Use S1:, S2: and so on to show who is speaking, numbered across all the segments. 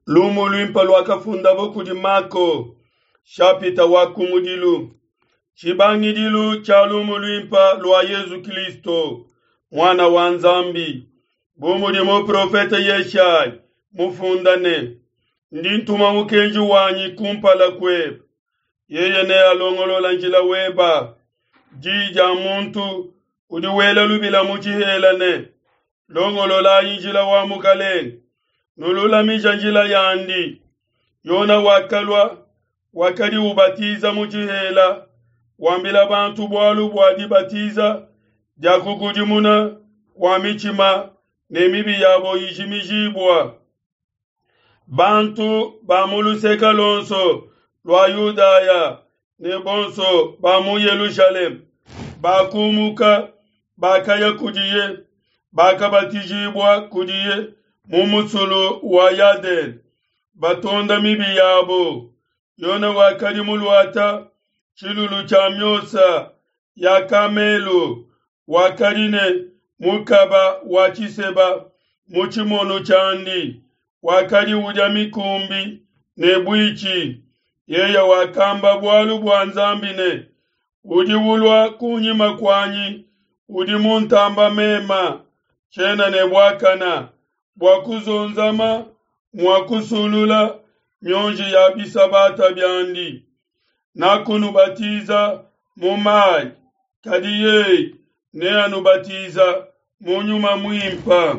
S1: Lumu luimpe luakafundabo kudi Mako, shapita wa kumudilu. Tshibangidilu tshia lumu luimpe lua Yezu Kristo, Muana wa Nzambi. Bu mudi muprofete Yeshayi mufunda ne, Ndi ntuma mukenji wanyi kumpala kuebe, yeye nealongolola njila weba. Diyi dia muntu udi wela lubila mu tshihela ne, Longololayi njila wa Mukalenge, nululamija njila yandi. Yona wakalua, wakadi ubatiza mu tshihela, wambila bantu bualu bua dibatiza dia kukudimuna kua mitshima ne mibi yabo ijimijibua. Bantu ba mu luseke luonso lua Yudaya ne bonso ba mu Yelushalema bakumuka, bakaya kudiye, bakabatijibua kudiye mu musulu wa Yadene, batonda mibi yabo. Yone wakadi muluata tshilulu tshia miosa ya kamelu, wakadi ne mukaba wa tshiseba mu tshimono tshiandi, wakadi udia mikumbi ne buitshi. Yeye wakamba bualu bua Nzambi ne, Udi ulua kunyima kuanyi udi muntamba mema, tshiena ne buakana bua kuzonzama mua kusulula mionji ya bisabata biandi. Nakunubatiza mu mayi, kadi yeye neanubatiza mu Nyuma Muimpe.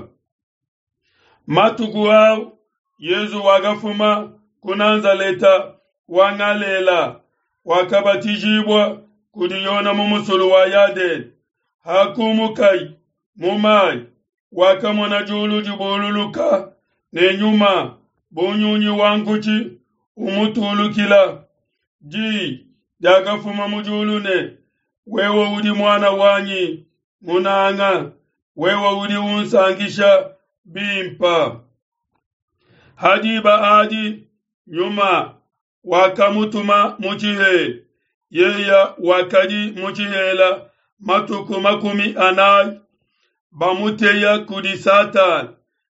S1: Matuku au Yezu wakafuma ku Nazaleta wa Ngalela, wakabatijibua kudi Yona mu musulu wa Yadene. Hakumukayi mu mayi, wakamona diulu dibululuka ne nyuma bu nyunyi wa nkutshi umutulukila. Diyi diakafuma mu diulu ne, Wewe udi muana wanyi munanga, wewe udi unsankisha bimpe. Ha diba adi nyuma wakamutuma mu tshihela. Yeye wakadi mu tshihela matuku 40, bamuteya kudi Satana.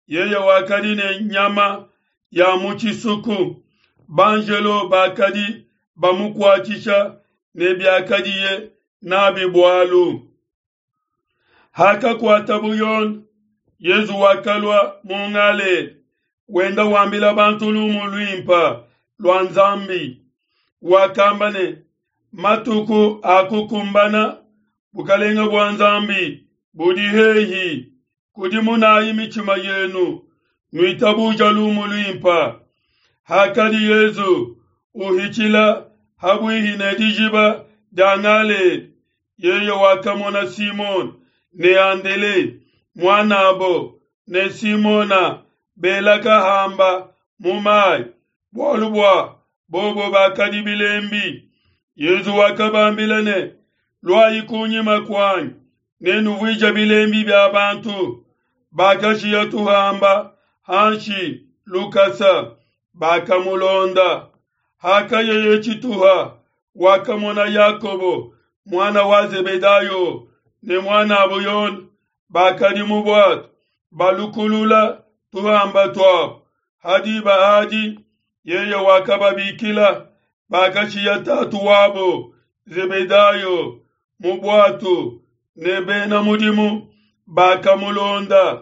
S1: Yeye wakadi ne nyama ya mu tshisuku, banjelo bakadi bamukuatshisha ne biakadiye nabi bualu. Hakakuatabu Yone, Yezu wakalua mu Ngalela, wenda wambila bantu lumu luimpe lua Nzambi. Wakamba ne, Matuku akukumbana, bukalenge bua Nzambi budi hehi. Kudimunayi mitshima yenu, nuitabuja lumu luimpe. Hakadi Yezu uhitshila habuihi ne dijiba dia Ngalela, yeye wakamona Simone ne Andele muanabo ne Simona bela kahamba mu mayi, bualu bua bobo bakadi bilembi. Yezu wakabambila ne, Luayi kunyima kuanyi, nenuvuije bilembi bia bantu. Bakashiya tuhamba hanshi lukasa, bakamulonda. Hakayeye tshituha, wakamona Yakobo muana wa Zebedayo ne muanabo Yone bakadi mu buatu balukulula tuhamba tuabo. Ha diba adi yeye wakababikila, bakashiya tatu wabo Zebedayo mu buatu ne bena mudimu bakamulonda.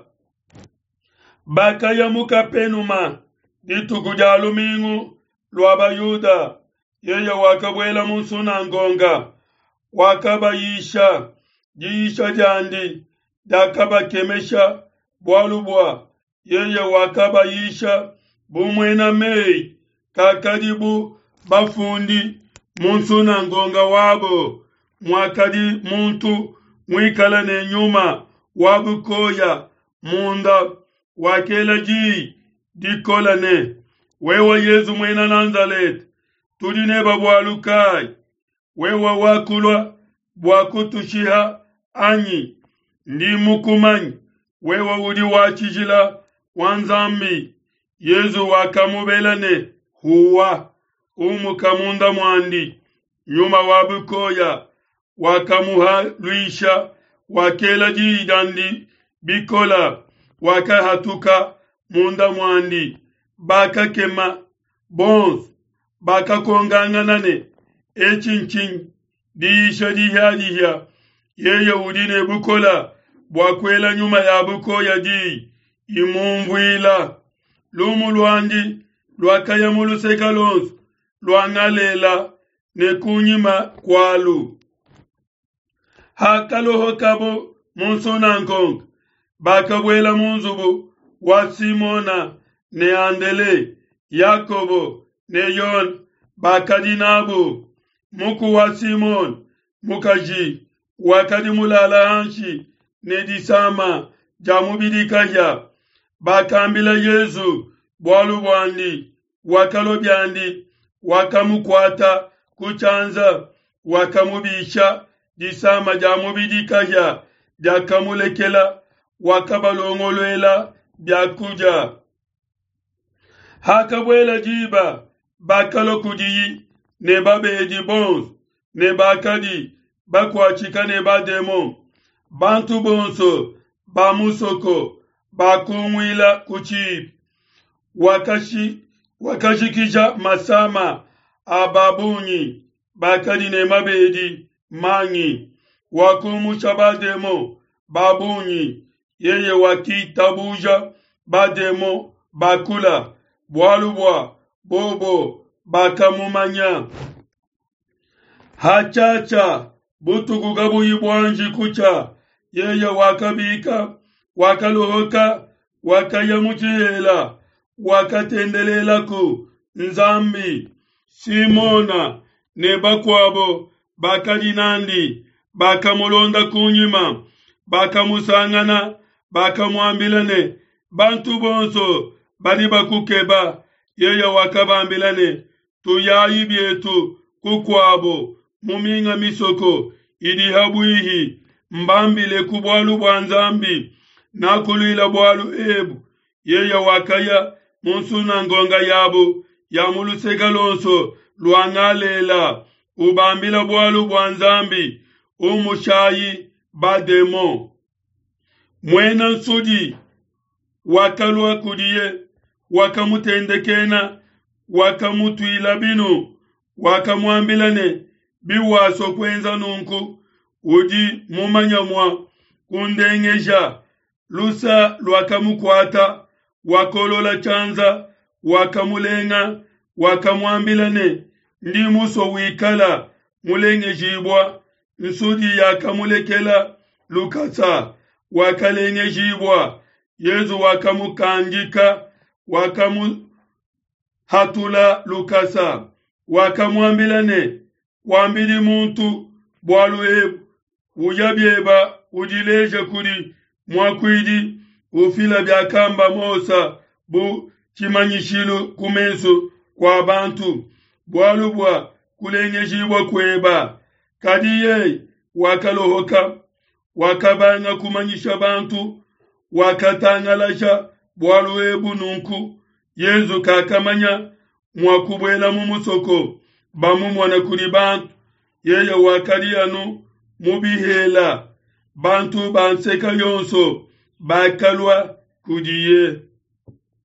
S1: Bakaya mu Kapenuma dituku dia lumingu lua Bayuda. Yeye wakabuela mu nsunangonga, wakabayisha. Diyisha diandi diakabakemesha, bualu bua yeye wakabayisha bu muena meyi, kakadi bu bafundi. Mu nsunangonga wabo muakadi muntu muikale ne nyuma wa bukoya munda, wakela diyi dikole ne, Wewe Yezu muena Nazaleta, tudi nebe bualu kayi? Wewe wakulua bua kutushiha anyi? Ndi mukumanye, wewe udi wa tshijila wa Nzambi. Yezu wakamubela ne, Huwa, umuka munda muandi. Nyuma wa bukoya wakamuhaluisha, wakela diyi diandi bikola, wakahatuka munda muandi. Bakakema bonso, bakakongangana ne, Etshi ntshinyi? Diyisha dihiadihia, yeye udi ne bukola bua kuela nyuma ya bukoya diyi imumvuila. Lumu luandi luakaya mu luseke luonso lua Ngalela ne kunyima kualu. Hakalohokabo mu nsunangonga, bakabuela mu nzubu wa Simona ne Andele, Yakobo ne Yone bakadi nabo. Muku wa Simona mukaji wakadi mulala hanshi ne disama dia mubidi kahia. Bakambila Yesu bualu buandi. Wakalua biandi, wakamukuata ku tshianza, wakamubisha, disama dia mubidi kahia diakamulekela, wakabalongoluela bia kudia. Hakabuela diba, bakalua kudiyi ne babedi bonso ne bakadi bakuatshika ne bademon. Bantu bonso ba musoko bakunguila ku tshibi. Wakashi, wakajikija masama a babungi bakadi ne mabedi mangi, wakumusha bademon babungi. Yeye wakitabuja bademon bakula, bualu bua bobo bakamumanya. Hatshiatshia butuku kabuyi buanji kutshia, yeye wakabika, wakalohoka, wakaya mu tshihela, wakatendelelaku Nzambi. Simona ne bakuabo bakadi n'andi bakamulonda kunyima, bakamusangana, bakamuambila ne, Bantu bonso badi bakukeba. Yeye wakabambila ne, Tuyayi bietu kukuabo mu minga misoko idi ha buihi, mbambileku bualu bua Nzambi, nakuluila bualu ebu. Yeye wakaya mu nsunangonga yabo ya mu luseke luonso lua Ngalela, ubambila bualu bua Nzambi, umushayi bademon. Muena nsudi wakalua kudiye, wakamutendekena, wakamutuila binu, wakamuambila ne, Biwasua kuenza nunku, udi mumanya mua kundengeja. Lusa luakamukuata, wakolola tshianza, wakamulenga, wakamuambila ne, Ndi musue wikala mulengejibua. Nsudi yakamulekela lukasa, wakalengejibua. Yezu wakamukandika, wakamuhatula lukasa, wakamuambila ne, Kuambidi muntu bualu ebu, uya bieba udileje kudi muakuidi, ufila biakamba Mose bu tshimanyishilu ku mesu kua bantu, bualu bua kulengejibua kueba. Kadi yeye wakalohoka, wakabanga kumanyisha bantu, wakatangalaja bualu ebu nunku. Yezu kakamanya mua kubuela mu musoko bamumona kudi bantu. Yeye wakadi anu mu bihela, bantu ba nseka yonso bakalua kudiye.